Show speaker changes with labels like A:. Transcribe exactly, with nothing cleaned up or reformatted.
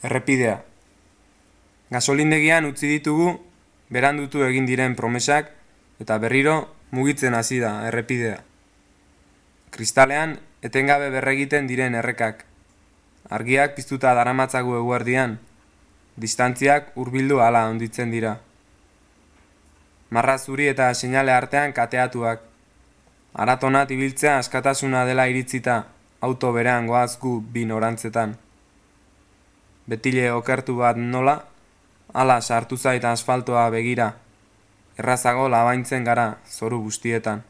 A: Errepidea. Gasolindegian utzi ditugu berandutu egin diren promesak eta berriro mugitzen hasi da errepidea. Kristalean etengabe berregiten diren errekak. Argiak piztuta daramatzagu eguerdian, distantziak hurbildu hala handitzen dira. Marra zuri eta seinale artean kateatuak. Aratonat ibiltzea askatasuna dela iritzita, auto berean goaz gu bi norantzetan. Betile okertu bat nola, hala sartu zait asfaltoa begira, errazago labaintzen gara zoru guztietan.